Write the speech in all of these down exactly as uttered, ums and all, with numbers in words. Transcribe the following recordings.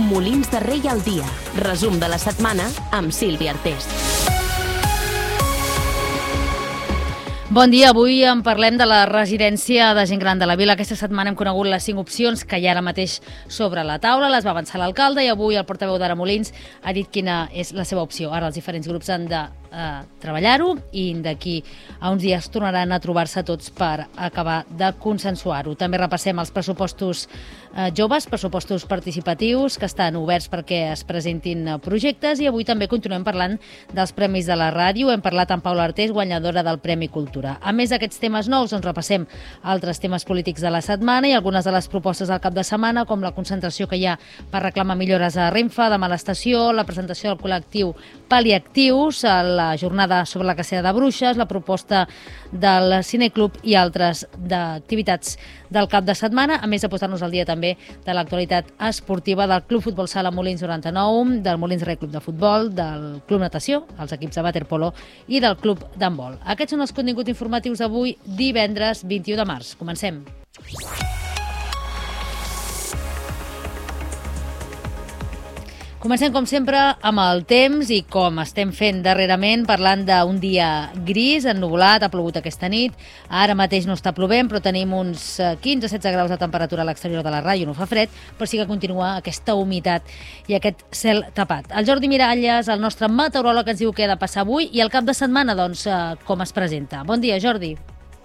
Molins de Rei al dia. Resum de la setmana amb Sílvia Artés. Bon dia, avui en parlem de la residència de gent gran de la vila. Aquesta setmana hem conegut les cinc opcions que hi ha ara mateix sobre la taula, les va avançar l'alcalde i avui el portaveu d'Ara Molins ha dit quina és la seva opció. Ara els diferents grups han de eh, treballar-ho i d'aquí a uns dies tornaran a trobar-se tots per acabar de consensuar-ho. També repassem els pressupostos eh, joves, pressupostos participatius que estan oberts perquè es presentin projectes i avui també continuem parlant dels premis de la ràdio. Hem parlat amb Paula Artés, guanyadora del Premi Cultura. A més d'aquests temes nous, doncs repassem altres temes polítics de la setmana i algunes de les propostes del cap de setmana, com la concentració que hi ha per reclamar millores a Renfe, demà a l'estació, la presentació del col·lectiu Pal·liactius, la jornada sobre la cacera de bruixes, la proposta del Cineclub i altres d'activitats del cap de setmana, a més de posar-nos al dia també de l'actualitat esportiva del Club Futbol Sala Molins noranta-nou, del Molins Rei Club de Futbol, del Club Natació, els equips de waterpolo i del Club d'handbol. Aquests són els continguts informatius d'avui, divendres vint-i-u de març. Comencem. Comencem, com sempre, amb el temps i com estem fent darrerament, parlant d'un dia gris, ennuvolat, ha plogut aquesta nit. Ara mateix no està plovent, però tenim uns quinze a setze graus de temperatura a l'exterior de la ràdio, no fa fred, però sí que continua aquesta humitat i aquest cel tapat. El Jordi Miralles, el nostre meteoròleg, ens diu què ha de passar avui i el cap de setmana, doncs, com es presenta. Bon dia, Jordi.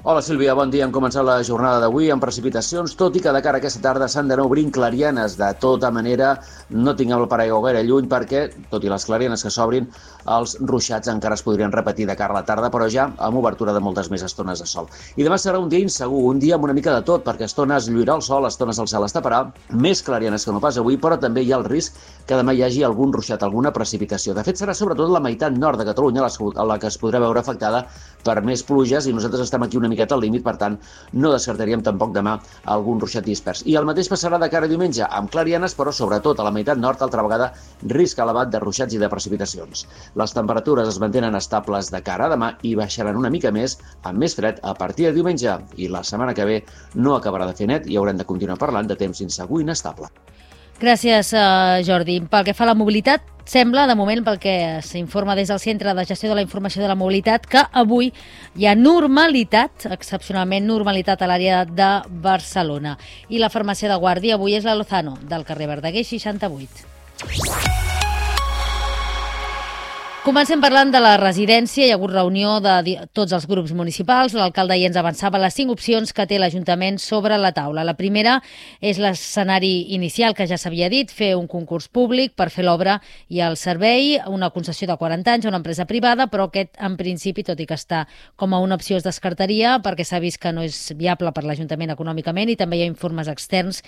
Hola Sílvia, bon dia. Hem començat la jornada d'avui amb precipitacions, tot i que de cara a aquesta tarda s'han d'anar obrint clarianes. De tota manera, no tinguem el paraigua gaire lluny perquè, tot i les clarianes que s'obrin, els ruixats encara es podrien repetir de cara a la tarda, però ja amb obertura de moltes més estones de sol. I demà serà un dia insegur, un dia amb una mica de tot, perquè estones lluirà el sol, estones el cel es taparà, més clarianes que no pas avui, però també hi ha el risc que demà hi hagi algun ruixat, alguna precipitació. De fet, serà sobretot la meitat nord de Catalunya la que es podrà veure afectada per més pluges i nosaltres estem aquí una miqueta al límit, per tant, no descartaríem tampoc demà algun ruixat dispers. I el mateix passarà de cara a diumenge, amb clarianes, però sobretot a la meitat nord, altra vegada, risc elevat de ruixats i de precipitacions. Les temperatures es mantenen estables de cara a demà i baixaran una mica més, amb més fred, a partir de diumenge. I la setmana que ve no acabarà de fer net i haurem de continuar parlant de temps insegur i inestable. Gràcies, Jordi. Pel que fa a la mobilitat, sembla, de moment, pel que s'informa des del Centre de Gestió de la Informació de la Mobilitat, que avui hi ha normalitat, excepcionalment normalitat a l'àrea de Barcelona. I la farmàcia de guàrdia avui és la Lozano, del carrer Verdaguer seixanta-vuit. Comencem parlant de la residència. Hi ha hagut reunió de tots els grups municipals. L'alcalde ja ens avançava les cinc opcions que té l'Ajuntament sobre la taula. La primera és l'escenari inicial, que ja s'havia dit, fer un concurs públic per fer l'obra i el servei, una concessió de quaranta anys a una empresa privada, però aquest, en principi, tot i que està com a una opció, es descartaria perquè s'ha vist que no és viable per l'Ajuntament econòmicament i també hi ha informes externs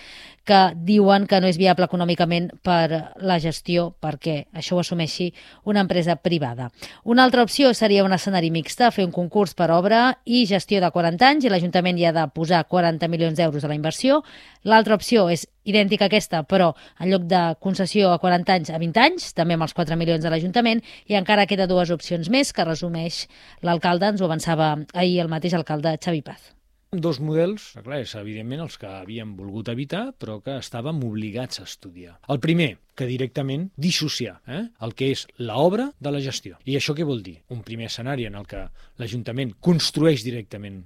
que diuen que no és viable econòmicament per la gestió perquè això ho assumeixi una empresa privada. Una altra opció seria un escenari mixte, fer un concurs per obra i gestió de quaranta anys i l'Ajuntament hi ha de posar quaranta milions d'euros a la inversió. L'altra opció és idèntica a aquesta, però en lloc de concessió a quaranta anys a vint anys, també amb els quatre milions de l'Ajuntament, i encara queda dues opcions més que resumeix l'alcalde, ens ho avançava ahir el mateix alcalde Xavi Paz. Dos models, clar, és evidentment els que havíem volgut evitar, però que estàvem obligats a estudiar. El primer, que directament dissociar eh, el que és l'obra de la gestió. I això què vol dir? Un primer escenari en el que l'Ajuntament construeix directament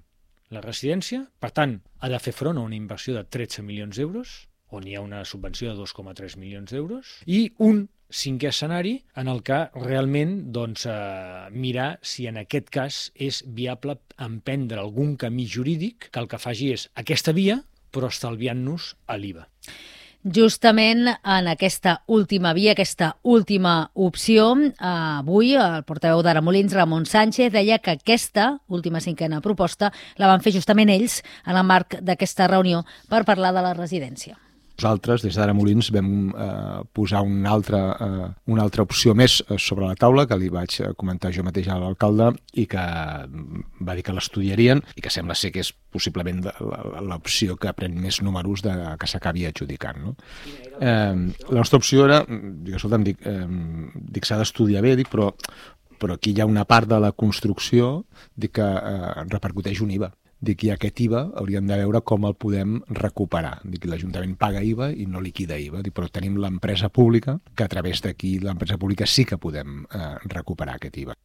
la residència, per tant, ha de fer front a una inversió de tretze milions d'euros, on hi ha una subvenció de dos coma tres milions d'euros, i un cinquè escenari en el que realment doncs, eh, mirar si en aquest cas és viable emprendre algun camí jurídic que el que faci és aquesta via, però estalviant-nos a l'I V A. Justament en aquesta última via, aquesta última opció, avui el portaveu d'Ara Molins, Ramon Sánchez, deia que aquesta última cinquena proposta la van fer justament ells en el marc d'aquesta reunió per parlar de la residència. Nosaltres, des d'Ara Molins, vam eh, posar una altra, eh, una altra opció més sobre la taula, que li vaig comentar jo mateix a l'alcalde, i que va dir que l'estudiarien, i que sembla ser que és possiblement l'opció que pren més números de que s'acabi adjudicant. No? Eh, la nostra opció era, dic, escolta'm, dic, eh, dic s'ha d'estudiar bé, dic, però, però aquí hi ha una part de la construcció dic, que eh, repercuteix un I V A. dic, i aquest I V A hauríem de veure com el podem recuperar. Dic, l'Ajuntament paga I V A i no liquida I V A, dic, però tenim l'empresa pública, que a través d'aquí l'empresa pública sí que podem eh, recuperar aquest I V A.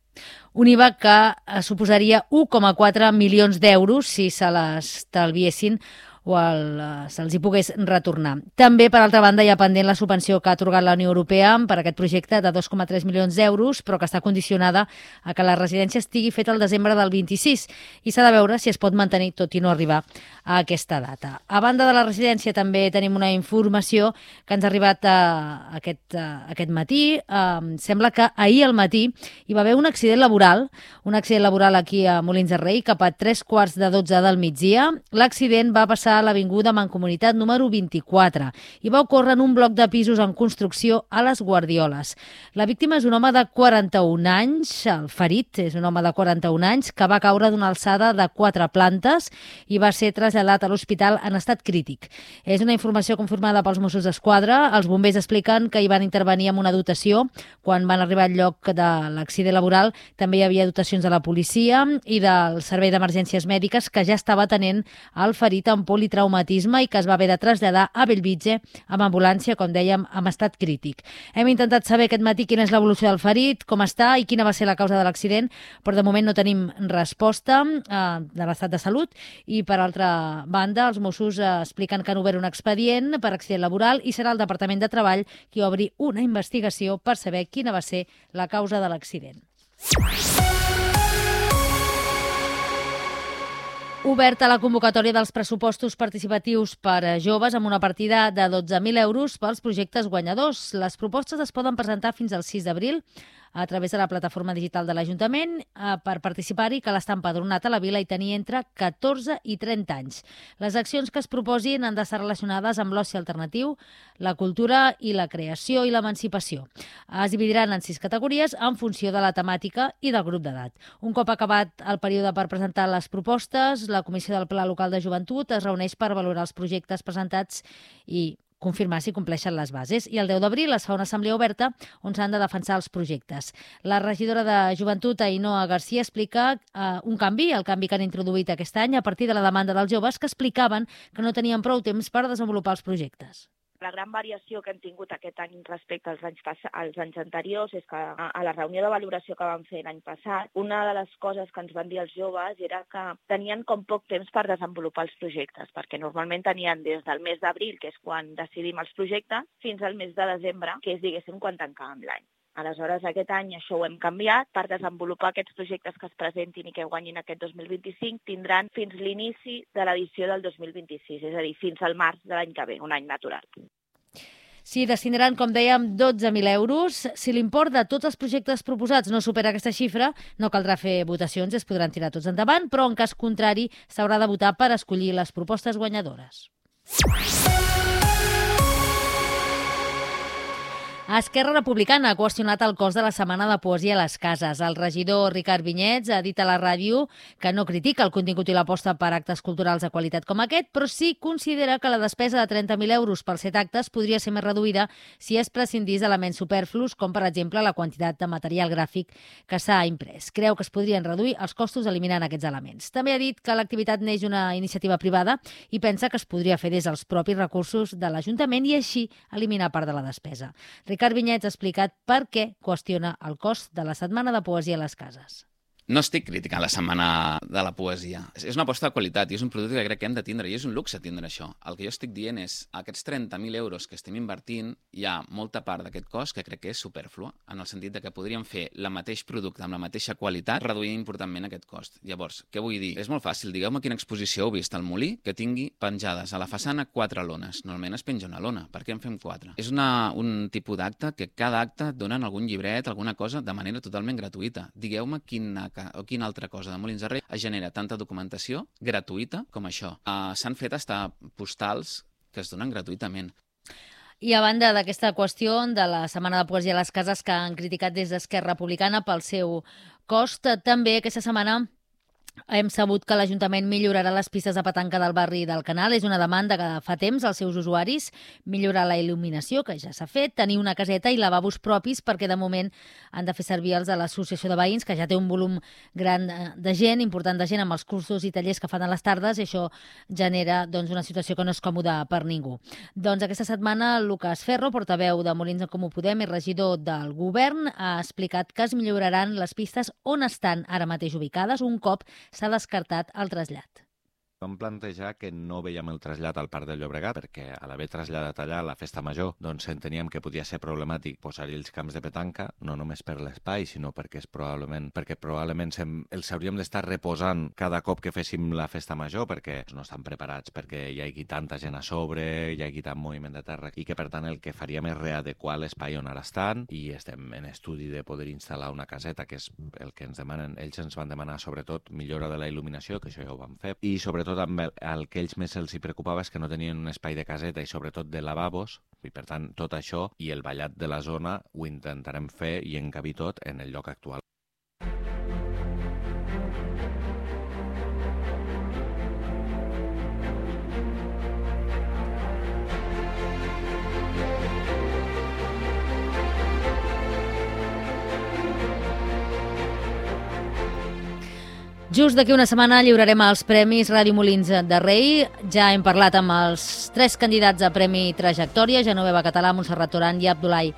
Un I V A que eh, suposaria un coma quatre milions d'euros si se l'estalviessin o el, se'ls hi pogués retornar. També, per altra banda, hi ha pendent la subvenció que ha atorgat la Unió Europea per aquest projecte de dos coma tres milions d'euros, però que està condicionada a que la residència estigui feta al desembre del vint-i-sis i s'ha de veure si es pot mantenir tot i no arribar a aquesta data. A banda de la residència també tenim una informació que ens ha arribat a aquest, a aquest matí. Um, sembla que ahir al matí hi va haver un accident laboral, un accident laboral aquí a Molins de Rei, cap a tres quarts de dotze del migdia. L'accident va passar a l'avinguda Mancomunitat número vint-i-quatre i va ocórrer en un bloc de pisos en construcció a les Guardioles. La víctima és un home de quaranta-un anys, el ferit és un home de quaranta-un anys que va caure d'una alçada de quatre plantes i va ser traslladat a l'hospital en estat crític. És una informació confirmada pels Mossos d'Esquadra. Els bombers expliquen que hi van intervenir amb una dotació. Quan van arribar al lloc de l'accident laboral també hi havia dotacions de la policia i del Servei d'Emergències Mèdiques que ja estava atenent el ferit amb politraumatisme i que es va haver de traslladar a Bellvitge amb ambulància, com dèiem, amb estat crític. Hem intentat saber aquest matí quina és l'evolució del ferit, com està i quina va ser la causa de l'accident, però de moment no tenim resposta eh, de l'estat de salut i, per altra banda, els Mossos eh, expliquen que han obert un expedient per accident laboral i serà el Departament de Treball qui obri una investigació per saber quina va ser la causa de l'accident. Oberta la convocatòria dels pressupostos participatius per a joves amb una partida de dotze mil euros pels projectes guanyadors. Les propostes es poden presentar fins al sis d'abril a través de la plataforma digital de l'Ajuntament. Per participar-hi cal estar empadronat a la vila i tenir entre catorze i trenta anys. Les accions que es proposin han d'estar relacionades amb l'oci alternatiu, la cultura i la creació i l'emancipació. Es dividiran en sis categories en funció de la temàtica i del grup d'edat. Un cop acabat el període per presentar les propostes, la Comissió del Pla Local de Joventut es reuneix per valorar els projectes presentats i confirmar si compleixen les bases. I el deu d'abril es fa una assemblea oberta on s'han de defensar els projectes. La regidora de Joventut, Ainhoa García, explica eh, un canvi, el canvi que han introduït aquest any a partir de la demanda dels joves que explicaven que no tenien prou temps per desenvolupar els projectes. La gran variació que hem tingut aquest any respecte als anys, als anys anteriors és que a la reunió de valoració que vam fer l'any passat, una de les coses que ens van dir els joves era que tenien com poc temps per desenvolupar els projectes, perquè normalment tenien des del mes d'abril, que és quan decidim els projectes, fins al mes de desembre, que és, diguéssim, quan tancàvem l'any. Aleshores, aquest any això ho hem canviat. Per desenvolupar aquests projectes que es presentin i que guanyin aquest dos mil vint-i-cinc tindran fins l'inici de l'edició del dos mil vint-i-sis, és a dir, fins al març de l'any que ve, un any natural. S'hi destinaran, com dèiem, dotze mil euros. Si l'import de tots els projectes proposats no supera aquesta xifra, no caldrà fer votacions, es podran tirar tots endavant, però en cas contrari s'haurà de votar per escollir les propostes guanyadores. Esquerra Republicana ha qüestionat el cost de la Setmana de Poesia a les cases. El regidor Ricard Vinyets ha dit a la ràdio que no critica el contingut i l'aposta per actes culturals de qualitat com aquest, però sí considera que la despesa de trenta mil euros per set actes podria ser més reduïda si es prescindís d'elements superflus, com per exemple la quantitat de material gràfic que s'ha imprès. Creu que es podrien reduir els costos eliminant aquests elements. També ha dit que l'activitat neix d'una iniciativa privada i pensa que es podria fer des dels propis recursos de l'Ajuntament i així eliminar part de la despesa. Ricard Vinyets ha explicat per què qüestiona el cost de la Setmana de Poesia a les cases. No estic criticant la Setmana de la Poesia. És una aposta de qualitat i és un producte que crec que hem de tindre i és un luxe tindre això. El que jo estic dient és aquests trenta mil euros que estem invertint, hi ha molta part d'aquest cost que crec que és superflua, en el sentit de que podríem fer el mateix producte amb la mateixa qualitat reduint importantment aquest cost. Llavors, què vull dir? És molt fàcil. Digueu-me quina exposició heu vist al Molí que tingui penjades a la façana quatre lones. Normalment es penja una lona. Per què en fem quatre? És una, un tipus d'acte que cada acte donen algun llibret, alguna cosa, de manera totalment gratuïta. Digueu-me quina o quina altra cosa de Molins de Rei es genera tanta documentació gratuïta com això. Uh, S'han fet hasta postals que es donen gratuïtament. I a banda d'aquesta qüestió de la Setmana de Poesia a les cases que han criticat des d'Esquerra Republicana pel seu cost, també aquesta setmana Hem sabut que l'Ajuntament millorarà les pistes de petanca del barri del Canal. És una demanda que fa temps als seus usuaris. Millorar la il·luminació, que ja s'ha fet, tenir una caseta i lavabos propis, perquè de moment han de fer servir els de l'Associació de Veïns, que ja té un volum gran de gent, important de gent, amb els cursos i tallers que fan a les tardes, i això genera doncs, una situació que no és còmoda per ningú. Doncs aquesta setmana Lucas Ferro, portaveu de Molins en Comú Podem i regidor del Govern, ha explicat que es milloraran les pistes on estan ara mateix ubicades un cop s'ha descartat el trasllat. Vam plantejar que no veiem el trasllat al Parc del Llobregat perquè a l'haver traslladat allà la festa major doncs enteníem que podia ser problemàtic posar-hi els camps de petanca, no només per l'espai, sinó perquè és probablement perquè probablement sem, els hauríem d'estar reposant cada cop que féssim la festa major perquè no estan preparats, perquè hi hagi tanta gent a sobre, hi hagi tant moviment de terra i que per tant el que faríem és readequar l'espai on ara estan i estem en estudi de poder instal·lar una caseta, que és el que ens demanen. Ells ens van demanar sobretot millora de la il·luminació, que això ja ho vam fer, i sobretot amb el, el que ells més els hi preocupava és que no tenien un espai de caseta i sobretot de lavabos, i per tant tot això i el ballat de la zona ho intentarem fer i encabir tot en el lloc actual. Just d'aquí una setmana lliurarem els Premis Ràdio Molins de Rei. Ja hem parlat amb els tres candidats a Premi Trajectòria, Genoveva Català, Montserrat Toran i Abdulai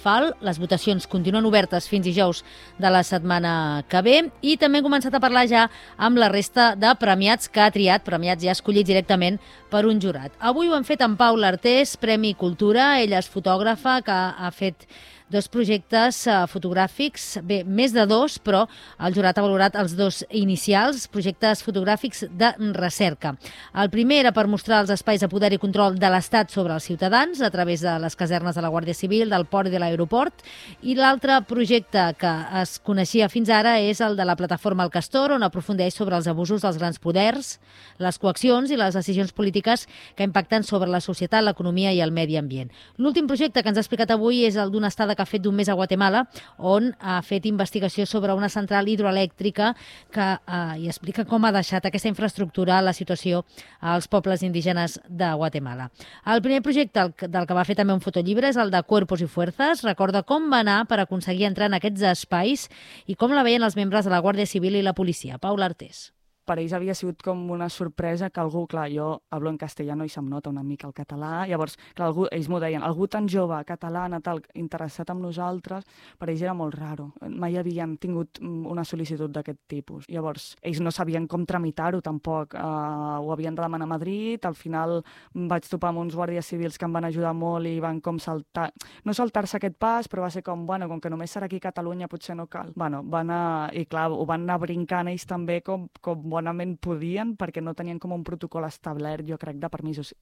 Fal. Les votacions continuen obertes fins dijous de la setmana que ve i també hem començat a parlar ja amb la resta de premiats que ha triat, premiats ja escollits directament per un jurat. Avui ho hem fet amb Paula Artés, Premi Cultura. Ella és fotògrafa que ha fet dos projectes uh, fotogràfics, bé, més de dos, però el jurat ha valorat els dos inicials, projectes fotogràfics de recerca. El primer era per mostrar els espais de poder i control de l'Estat sobre els ciutadans a través de les casernes de la Guàrdia Civil, del port i de l'aeroport, i l'altre projecte que es coneixia fins ara és el de la plataforma El Castor, on aprofundeix sobre els abusos dels grans poders, les coaccions i les decisions polítiques que impacten sobre la societat, l'economia i el medi ambient. L'últim projecte que ens ha explicat avui és el d'una estada que ha fet d'un mes a Guatemala, on ha fet investigació sobre una central hidroelèctrica que eh, hi explica com ha deixat aquesta infraestructura la situació als pobles indígenes de Guatemala. El primer projecte del que va fer també un fotollibre és el de Cuerpos y Fuerzas. Recorda com va anar per aconseguir entrar en aquests espais i com la veien els membres de la Guàrdia Civil i la policia. Paula Artés. Per ells havia sigut com una sorpresa que algú, clar, jo hablo en castellano i se'm nota una mica el català, llavors, clar, algú, ells m'ho deien, algú tan jove, catalana, tal, interessat en nosaltres, per ells era molt raro. Mai havien tingut una sol·licitud d'aquest tipus. Llavors, ells no sabien com tramitar-ho tampoc, uh, ho havien de demanar a Madrid, al final vaig topar amb uns guàrdies civils que em van ajudar molt i van com saltar, no saltar-se aquest pas, però va ser com, bueno, com que només serà aquí a Catalunya potser no cal. Bueno, van anar, i clar, ho van anar brincant ells també com, com bonament podien, perquè no tenien com un protocol establert, jo crec, de permisos.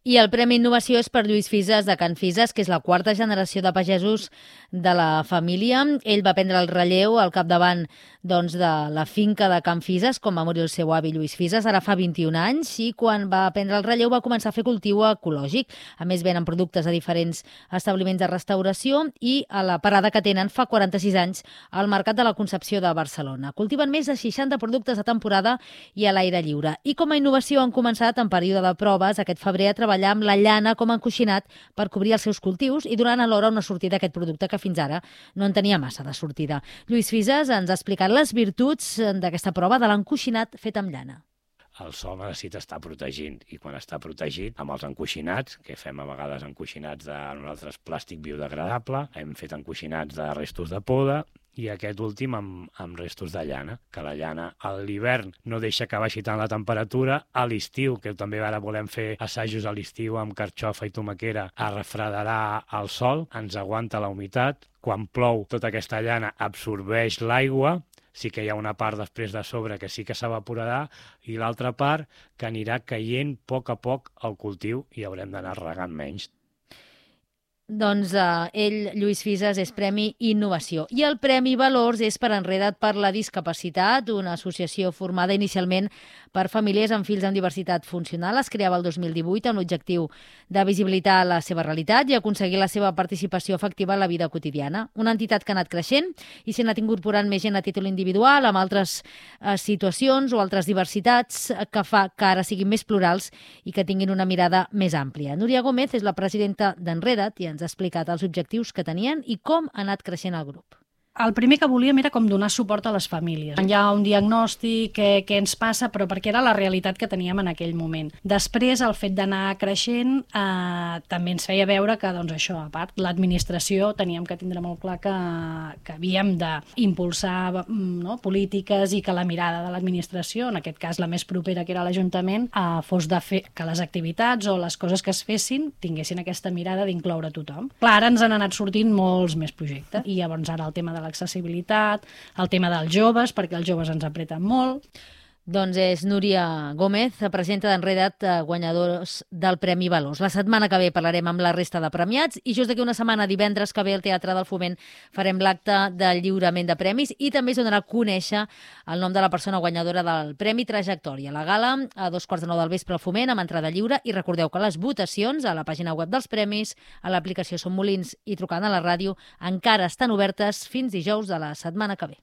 I el Premi Innovació és per Lluís Fises de Can Fises, que és la quarta generació de pagesos de la família. Ell va prendre el relleu al capdavant doncs, de la finca de Can Fises, com va morir el seu avi Lluís Fises, ara fa vint-i-un anys, i quan va prendre el relleu va començar a fer cultiu ecològic. A més, venen productes a diferents establiments de restauració i a la parada que tenen fa quaranta-sis anys al Mercat de la Concepció de Barcelona. Cultiven més de seixanta productes a temporada i a l'aire lliure. I com a innovació han començat en període de proves aquest febrer a treballar amb la llana com a encoixinat per cobrir els seus cultius i donant alhora una sortida a aquest producte que fins ara no en tenia massa de sortida. Lluís Fises ens ha explicat les virtuts d'aquesta prova de l'encoixinat fet amb llana. El sol necessita estar protegint i quan està protegit amb els encoixinats, que fem a vegades encoixinats de nosaltres plàstic biodegradable, hem fet encoixinats de restos de poda i aquest últim amb, amb restos de llana, que la llana a l'hivern no deixa que baixi tant la temperatura, a l'estiu, que també ara volem fer assajos a l'estiu amb carxofa i tomaquera, a refredarà el sol, ens aguanta la humitat, quan plou tota aquesta llana absorbeix l'aigua, sí que hi ha una part després de sobre que sí que s'evaporarà i l'altra part que anirà caient a poc a poc al cultiu i haurem d'anar regant menys. Doncs eh, ell, Lluís Fisas, és Premi Innovació. I el Premi Valors és per Enreda't per la Discapacitat, una associació formada inicialment per famílies amb fills amb diversitat funcional. Es creava el dos mil divuit amb l'objectiu de visibilitar la seva realitat i aconseguir la seva participació efectiva en la vida quotidiana. Una entitat que ha anat creixent i s'ha anat incorporant més gent a títol individual, amb altres eh, situacions o altres diversitats que fa que ara siguin més plurals i que tinguin una mirada més àmplia. Núria Gómez és la presidenta d'Enreda't i ens ha explicat els objectius que tenien i com ha anat creixent el grup. El primer que volíem era com donar suport a les famílies. Hi ha un diagnòstic, què, què ens passa, però perquè era la realitat que teníem en aquell moment. Després, el fet d'anar creixent eh, també ens feia veure que, doncs això, a part, l'administració teníem que tindre molt clar que, que havíem d'impulsar no, polítiques i que la mirada de l'administració, en aquest cas la més propera que era l'Ajuntament, eh, fos de fer que les activitats o les coses que es fessin tinguessin aquesta mirada d'incloure tothom. Clar, ara ens han anat sortint molts més projectes i llavors ara el tema de l'accessibilitat, el tema dels joves, perquè els joves ens apreten molt. Doncs és Núria Gómez, presidenta d'Enreda't, guanyadors del Premi Valors. La setmana que ve parlarem amb la resta de premiats i just d'aquí una setmana, divendres que ve, al Teatre del Foment farem l'acte del lliurament de premis i també es donarà a conèixer el nom de la persona guanyadora del Premi Trajectòria. La gala a dos quarts de nou del vespre al Foment amb entrada lliure i recordeu que les votacions a la pàgina web dels premis, a l'aplicació Som Molins i trucant a la ràdio encara estan obertes fins dijous de la setmana que ve.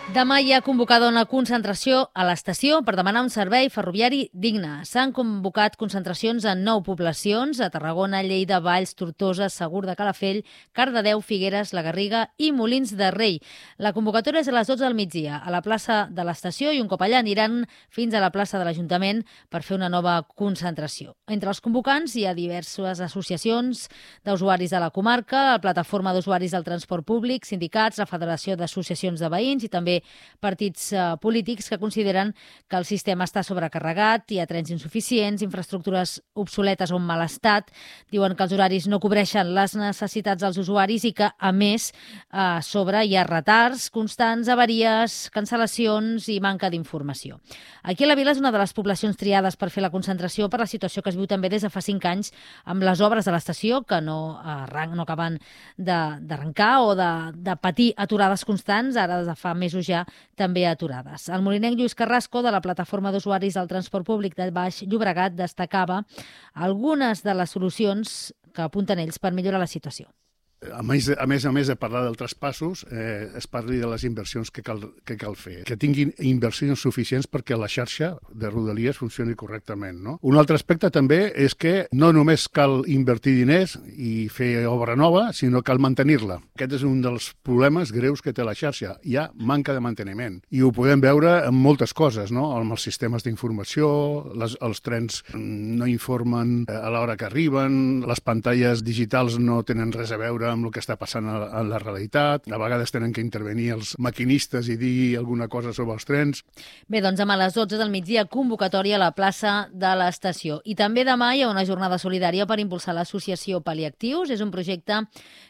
Demà hi ha convocada una concentració a l'estació per demanar un servei ferroviari digne. S'han convocat concentracions en nou poblacions, a Tarragona, Lleida, Valls, Tortosa, Segur de Calafell, Cardedeu, Figueres, la Garriga i Molins de Rei. La convocatòria és a les dotze del migdia a la plaça de l'estació i un cop allà aniran fins a la plaça de l'Ajuntament per fer una nova concentració. Entre els convocants hi ha diverses associacions d'usuaris de la comarca, la Plataforma d'Usuaris del Transport Públic, sindicats, la Federació d'Associacions de Veïns i també partits uh, polítics que consideren que el sistema està sobrecarregat, hi ha trens insuficients, infraestructures obsoletes o en mal estat, diuen que els horaris no cobreixen les necessitats dels usuaris i que, a més, uh, a sobre hi ha retards constants, avaries, cancel·lacions i manca d'informació. Aquí a la Vila és una de les poblacions triades per fer la concentració per la situació que es viu també des de fa cinc anys amb les obres de l'estació que no, arran no acaben d'arrencar o de, de patir aturades constants, ara des de fa mesos ja també aturades. El molinenc Lluís Carrasco, de la Plataforma d'Usuaris del Transport Públic de Baix Llobregat, destacava algunes de les solucions que apunten ells per millorar la situació. A més, a més a més de parlar dels traspassos, eh, es parli de les inversions que cal, que cal fer. Que tinguin inversions suficients perquè la xarxa de Rodalies funcioni correctament. No? Un altre aspecte també és que no només cal invertir diners i fer obra nova, sinó cal mantenir-la. Aquest és un dels problemes greus que té la xarxa. Hi ha manca de manteniment. I ho podem veure en moltes coses, no? Amb els sistemes d'informació, les, els trens no informen a l'hora que arriben, les pantalles digitals no tenen res a veure amb el que està passant a la realitat. A vegades tenen que intervenir els maquinistes i dir alguna cosa sobre els trens. Bé, doncs demà a les dotze del migdia convocatòria a la plaça de l'estació. I també demà hi ha una jornada solidària per impulsar l'associació Pal·liactius. És un projecte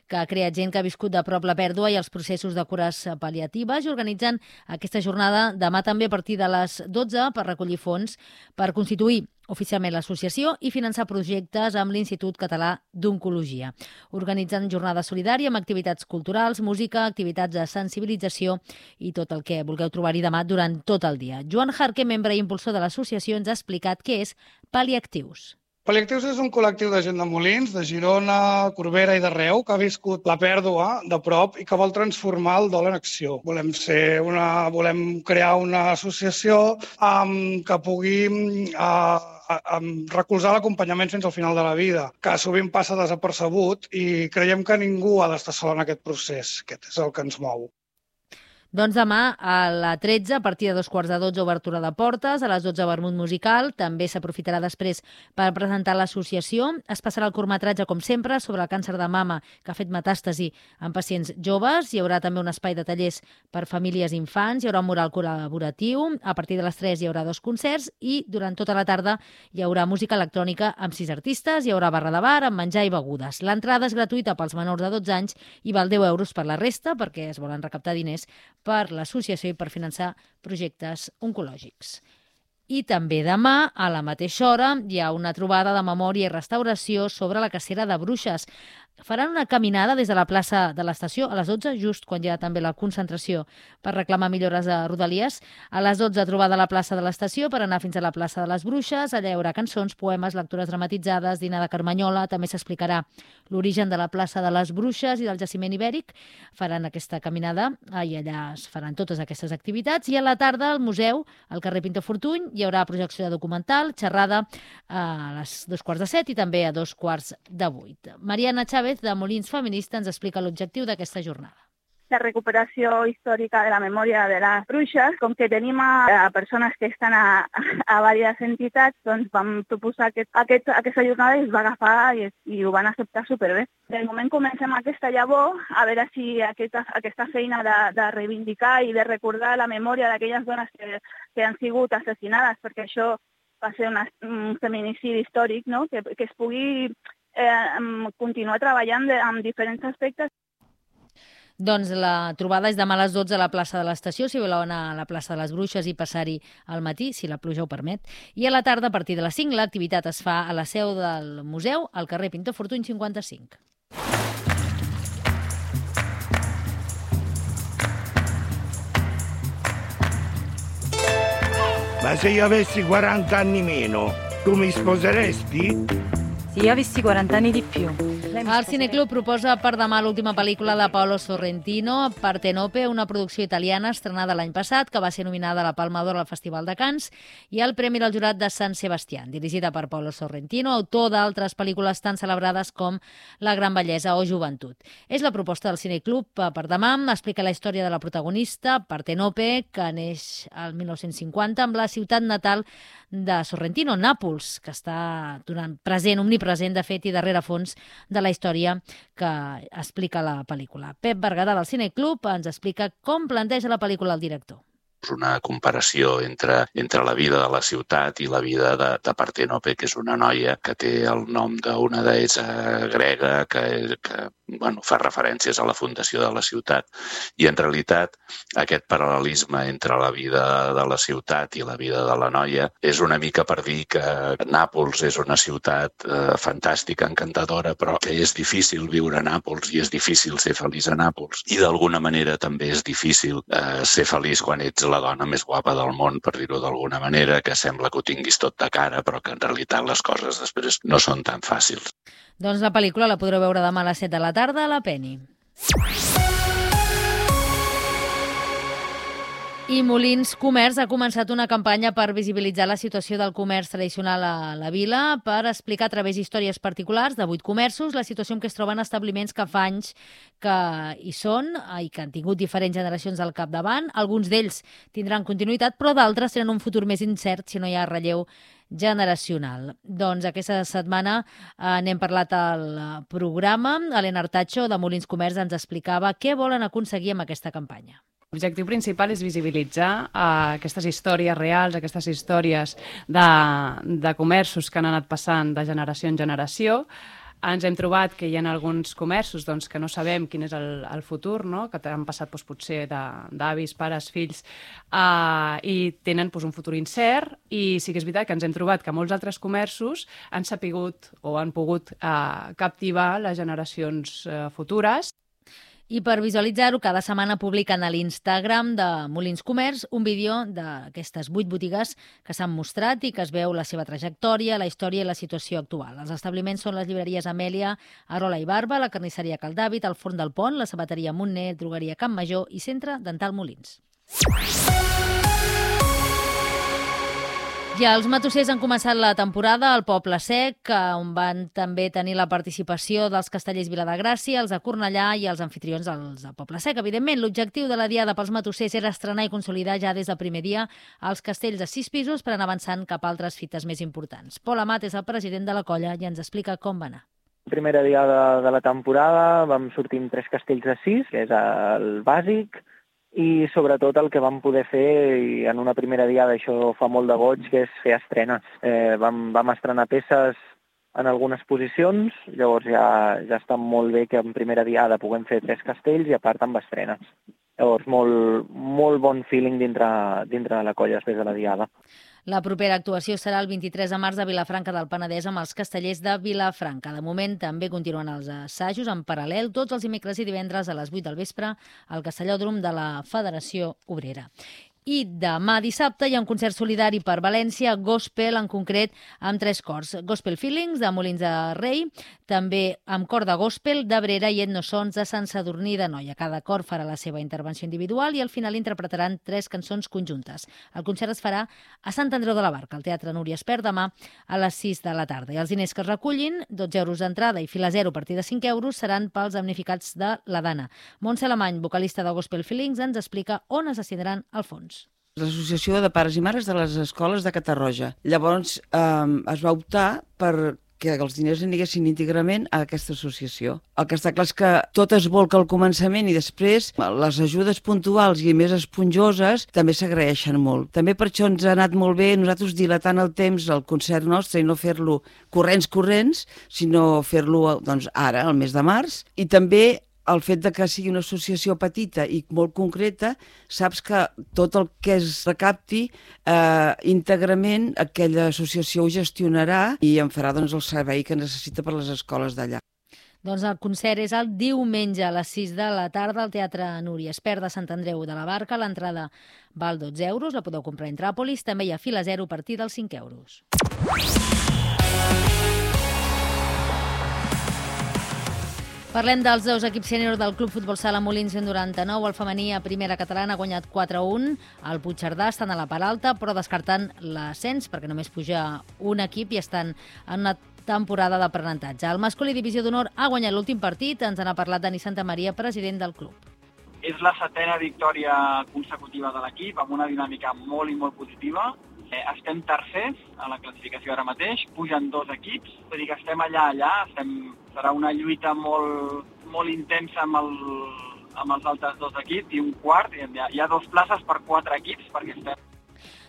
que ha creat gent que ha viscut de prop la pèrdua i els processos de cures pal·liatives i organitzen aquesta jornada demà també a partir de les dotze per recollir fons per constituir oficialment l'associació i finançar projectes amb l'Institut Català d'Oncologia. Organitzen jornada solidària amb activitats culturals, música, activitats de sensibilització i tot el que vulgueu trobar-hi demà durant tot el dia. Joan Jarque, membre i impulsor de l'associació, ens ha explicat què és Pal·liactius. Pal·liactius és un col·lectiu de gent de Molins, de Girona, Corbera i d'arreu, que ha viscut la pèrdua de prop i que vol transformar el dol en acció. Volem ser una, volem crear una associació um, que pugui uh, recolzar l'acompanyament fins al final de la vida, que sovint passa desapercebut i creiem que ningú ha d'estar sol en aquest procés. Aquest és el que ens mou. Doncs demà a la tretze, a partir de dos quarts de dotze, obertura de portes, a les dotze vermut musical, també s'aprofitarà després per presentar l'associació. Es passarà el curtmetratge, com sempre, sobre el càncer de mama que ha fet metàstasi en pacients joves. Hi haurà també un espai de tallers per famílies i infants, hi haurà un mural col·laboratiu, a partir de les tres hi haurà dos concerts i durant tota la tarda hi haurà música electrònica amb sis artistes, hi haurà barra de bar amb menjar i begudes. L'entrada és gratuïta pels menors de dotze anys i val deu euros per la resta perquè es volen recaptar diners per l'associació i per finançar projectes oncològics. I també demà, a la mateixa hora, hi ha una trobada de memòria i restauració sobre la cacera de bruixes. Faran una caminada des de la plaça de l'estació a les dotze, just quan hi ha també la concentració per reclamar millores de Rodalies. A les dotze, trobada a la plaça de l'estació per anar fins a la plaça de les Bruixes. Allà hi haurà cançons, poemes, lectures dramatitzades, dinar de Carmanyola. També s'explicarà l'origen de la plaça de les Bruixes i del jaciment ibèric. Faran aquesta caminada i allà es faran totes aquestes activitats. I a la tarda, al museu, al carrer Pintor Fortuny, hi haurà projecció de documental, xerrada a les dos quarts de set i també a dos quarts de vuit. Mariana Chávez, de Molins Feminista, ens explica l'objectiu d'aquesta jornada. La recuperació històrica de la memòria de les bruixes, com que tenim a, a persones que estan a, a diverses entitats, doncs vam proposar aquest, aquest, aquesta jornada i es va agafar i, i ho van acceptar superbé. De moment comencem aquesta llavor, a veure si aquesta, aquesta feina de, de reivindicar i de recordar la memòria d'aquelles dones que, que han sigut assassinades, perquè això va ser una, un feminicidi històric, no? que, que es pugui eh, continuar treballant de, amb diferents aspectes. Doncs la trobada és demà a les dotze a la plaça de l'estació, si voleu anar a la plaça de les Bruixes i passar-hi al matí, si la pluja ho permet. I a la tarda, a partir de les cinc, l'activitat es fa a la seu del museu, al carrer Pintor Fortuny cinquanta-cinc. Ma se io avessi quaranta anni meno, tu mi sposeresti? Si io avessi quaranta anni di più. El Cineclub proposa per demà l'última pel·lícula de Paolo Sorrentino, Partenope, una producció italiana estrenada l'any passat, que va ser nominada a la Palma d'Or al Festival de Cannes i al Premi del Jurat de Sant Sebastián, dirigida per Paolo Sorrentino, autor d'altres pel·lícules tan celebrades com La gran bellesa o Joventut. És la proposta del Cineclub per demà. Explica la història de la protagonista, Partenope, que neix al mil nou-cents cinquanta amb la ciutat natal de Sorrentino, Nàpols, que està donant present, omnipresent, de fet, i darrere fons de la història que explica la pel·lícula. Pep Berguedà del Cineclub ens explica com planteja la pel·lícula el director. És una comparació entre, entre la vida de la ciutat i la vida de, de Partenope, que és una noia que té el nom d'una deessa grega que, que bueno, fa referències a la fundació de la ciutat. I en realitat aquest paral·lelisme entre la vida de la ciutat i la vida de la noia és una mica per dir que Nàpols és una ciutat eh, fantàstica, encantadora, però que és difícil viure a Nàpols i és difícil ser feliç a Nàpols. I d'alguna manera també és difícil eh, ser feliç quan ets la dona més guapa del món, per dir-ho d'alguna manera, que sembla que ho tinguis tot de cara, però que en realitat les coses després no són tan fàcils. Doncs la pel·lícula la podreu veure demà a les set de la tarda a la Penny. I Molins Comerç ha començat una campanya per visibilitzar la situació del comerç tradicional a la vila, per explicar a través d'històries particulars de vuit comerços la situació en què es troben establiments que fa anys que hi són i que han tingut diferents generacions al capdavant. Alguns d'ells tindran continuïtat, però d'altres tenen un futur més incert si no hi ha relleu generacional. Doncs aquesta setmana eh, n'hem parlat al programa. Helena Artacho, de Molins Comerç, ens explicava què volen aconseguir amb aquesta campanya. L'objectiu principal és visibilitzar uh, aquestes històries reals, aquestes històries de, de comerços que han anat passant de generació en generació. Ens hem trobat que hi ha alguns comerços doncs, que no sabem quin és el, el futur, no? Que han passat doncs, potser d'avis, pares, fills, uh, i tenen doncs, un futur incert, i sí que és veritat que ens hem trobat que molts altres comerços han sapigut o han pogut uh, captivar les generacions uh, futures. I per visualitzar-ho, cada setmana publiquen a l'Instagram de Molins Comerç un vídeo d'aquestes vuit botigues que s'han mostrat i que es veu la seva trajectòria, la història i la situació actual. Els establiments són les llibreries Amèlia, Arola i Barba, la carnisseria Cal David, el Forn del Pont, la sabateria Montner, drogueria Camp Major i Centre Dental Molins. Ja els matossers han començat la temporada al Poble Sec, on van també tenir la participació dels castellers Viladegràcia, els de Cornellà i els anfitrions dels de Poble Sec. Evidentment, l'objectiu de la Diada pels matossers era estrenar i consolidar ja des del primer dia els castells de sis pisos per anar avançant cap a altres fites més importants. Pol Amat és el president de la colla i ens explica com va anar. Primera diada de la temporada vam sortir amb tres castells de sis, que és el bàsic, i sobretot el que vam poder fer, i en una primera diada això fa molt de goig, que és fer estrenes. Eh, vam, vam estrenar peces en algunes posicions, llavors ja, ja està molt bé que en primera diada puguem fer tres castells i a part amb estrenes. Llavors, molt, molt bon feeling dintre, dintre de la colla després de la diada. La propera actuació serà el vint-i-tres de març a Vilafranca del Penedès amb els Castellers de Vilafranca. De moment també continuen els assajos en paral·lel tots els dimecres i divendres a les vuit del vespre al Castellòdrom de la Federació Obrera. I demà dissabte hi ha un concert solidari per València, gospel en concret, amb tres cors. Gospel Feelings, de Molins de Rei, també amb cor de gospel d'Abrera i Etnosons de Sant Sadurní d'Anoia. Cada cor farà la seva intervenció individual i al final interpretaran tres cançons conjuntes. El concert es farà a Sant Andreu de la Barca, al Teatre Núria Espert, demà a les sis de la tarda. I els diners que es recullin, dotze euros d'entrada i fila zero a partir de cinc euros, seran pels damnificats de la Dana. Montse Alemany, vocalista de Gospel Feelings, ens explica on es destinaran el fons. L'Associació de Pares i Mares de les Escoles de Catarroja. Llavors eh, es va optar per que els diners anirissin íntegrament a aquesta associació. El que està clar és que tot es volca al començament i després les ajudes puntuals i més esponjoses també s'agraeixen molt. També per això ens ha anat molt bé nosaltres dilatant el temps al concert nostre i no fer-lo corrents corrents, sinó fer-lo doncs, ara, al mes de març, i també el fet de que sigui una associació petita i molt concreta, saps que tot el que es recapti eh, íntegrament aquella associació ho gestionarà i en farà doncs, el servei que necessita per les escoles d'allà. Doncs el concert és el diumenge a les sis de la tarda al Teatre Núria Espert de Sant Andreu de la Barca. L'entrada val dotze euros, la podeu comprar a Intràpolis. També hi ha fila zero a partir dels cinc euros. Parlem dels dos equips sènior del Club Futbol Sala Molins cent noranta-nou. El femení a primera catalana ha guanyat quatre a un. El Puigcerdà estan a la part alta, però descartant l'ascens, perquè només puja un equip i estan en una temporada d'aprenentatge. El masculí divisió d'honor ha guanyat l'últim partit. Ens n'ha parlat Dani Santamaria, president del club. És la setena victòria consecutiva de l'equip, amb una dinàmica molt i molt positiva. Eh, estem tercers a la classificació ara mateix, pugen dos equips, vull dir que estem allà, allà, estem, serà una lluita molt, molt intensa amb, el, amb els altres dos equips i un quart, hi ha, hi ha dos places per quatre equips perquè estem...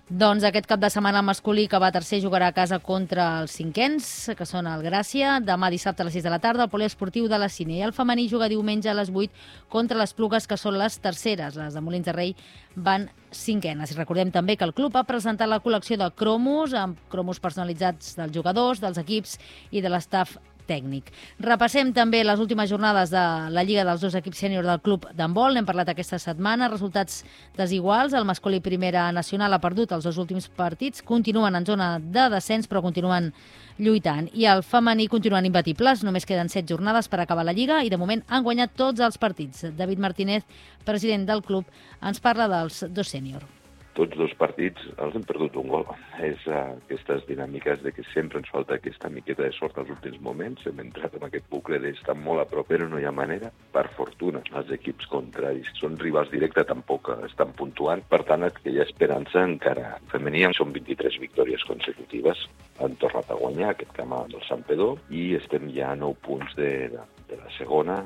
Doncs aquest cap de setmana el masculí, que va tercer, jugarà a casa contra els cinquens, que són el Gràcia. Demà dissabte a les sis de la tarda el poliesportiu de la Cine. I el femení juga diumenge a les vuit contra les Plugues, que són les terceres. Les de Molins de Rei van cinquenes. I recordem també que el club ha presentat la col·lecció de cromos, amb cromos personalitzats dels jugadors, dels equips i de l'estaf tècnic. Repassem també les últimes jornades de la Lliga dels dos equips sènior del club d'handbol. N'hem parlat aquesta setmana. Resultats desiguals. El masculí primera nacional ha perdut els dos últims partits. Continuen en zona de descens, però continuen lluitant. I el femení continuen imbatibles. Només queden set jornades per acabar la Lliga i de moment han guanyat tots els partits. David Martínez, president del club, ens parla dels dos sènior. Tots dos partits els hem perdut un gol. És uh, aquestes dinàmiques de que sempre ens falta aquesta miqueta de sort als últims moments. Hem entrat en aquest bucle d'estar molt a prop, però no hi ha manera. Per fortuna, els equips contraris són rivals directes, tampoc estan puntuant. Per tant, que hi ha esperança encara. Femení són vint-i-tres victòries consecutives. Han tornat a guanyar aquest camp del Santpedor i estem ja a nou punts de, de, de la segona.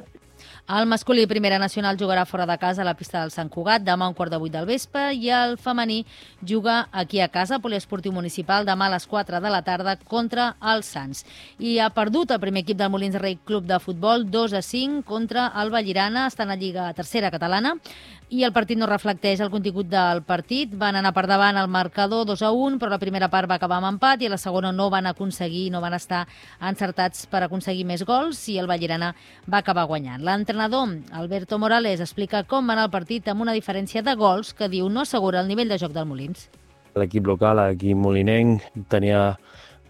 El masculí primera nacional jugarà fora de casa a la pista del Sant Cugat demà a un quart de vuit del vespre i el femení juga aquí a casa, poliesportiu municipal, demà a les quatre de la tarda contra els Sants. I ha perdut el primer equip del Molins de Rei Club de Futbol dos a cinc contra el Vallirana, estan a Lliga Tercera Catalana i el partit no reflecteix el contingut del partit. Van anar per davant al marcador dos a un, però la primera part va acabar amb empat i a la segona no van aconseguir, no van estar encertats per aconseguir més gols i el Vallirana va acabar guanyant. L'entrenador, Alberto Morales, explica com va anar el partit amb una diferència de gols que diu no assegura el nivell de joc del Molins. L'equip local, l'equip molinenc, tenia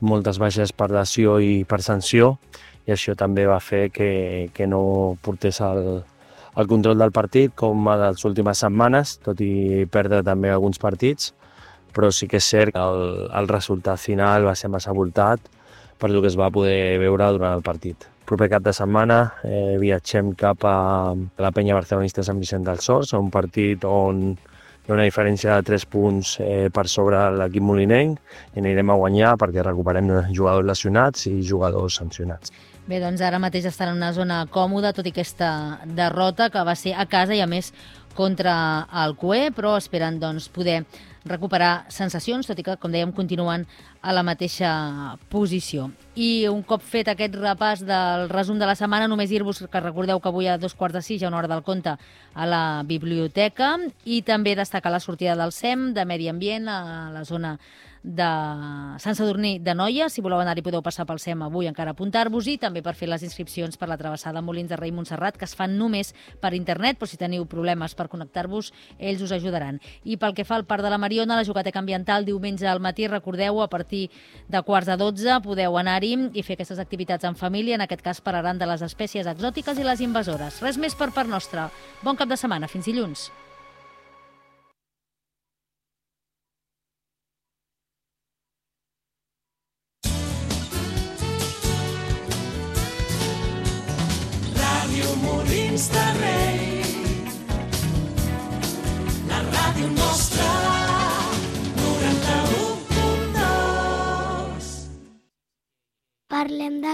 moltes baixes per lesió i per sanció i això també va fer que, que no portés el, el control del partit com a les últimes setmanes, tot i perdre també alguns partits, però sí que és cert que el, el resultat final va ser massa voltat per el que es va poder veure durant el partit. El proper cap de setmana eh, viatgem cap a la penya barcelonista Sant Vicent dels Horts, un partit on hi ha una diferència de tres punts eh, per sobre l'equip molinenc i anirem a guanyar perquè recuperem jugadors lesionats i jugadors sancionats. Bé, doncs ara mateix estan en una zona còmoda, tot i aquesta derrota que va ser a casa i a més contra el Cué, però esperen doncs, poder recuperar sensacions, tot i que, com dèiem, continuen a la mateixa posició. I un cop fet aquest repàs del resum de la setmana, només dir-vos que recordeu que avui a dos quarts de sis hi ha una hora del conte a la biblioteca i també destacar la sortida del S E M de Medi Ambient a la zona de Sant Sadurní d'Anoia. Si voleu anar-hi podeu passar pel SEM avui encara apuntar-vos-hi, també per fer les inscripcions per la travessada Molins de Rei Montserrat, que es fan només per internet, però si teniu problemes per connectar-vos, ells us ajudaran. I pel que fa al Parc de la Mariona, la Jogateca Ambiental, diumenge al matí, recordeu, a partir de quarts de dotze podeu anar-hi i fer aquestes activitats en família. En aquest cas parlaran de les espècies exòtiques i les invasores. Res més per part nostra. Bon cap de setmana. Fins dilluns. Ràdio Molins de Rei, la ràdio nostra, noranta-u punt dos. Parlem de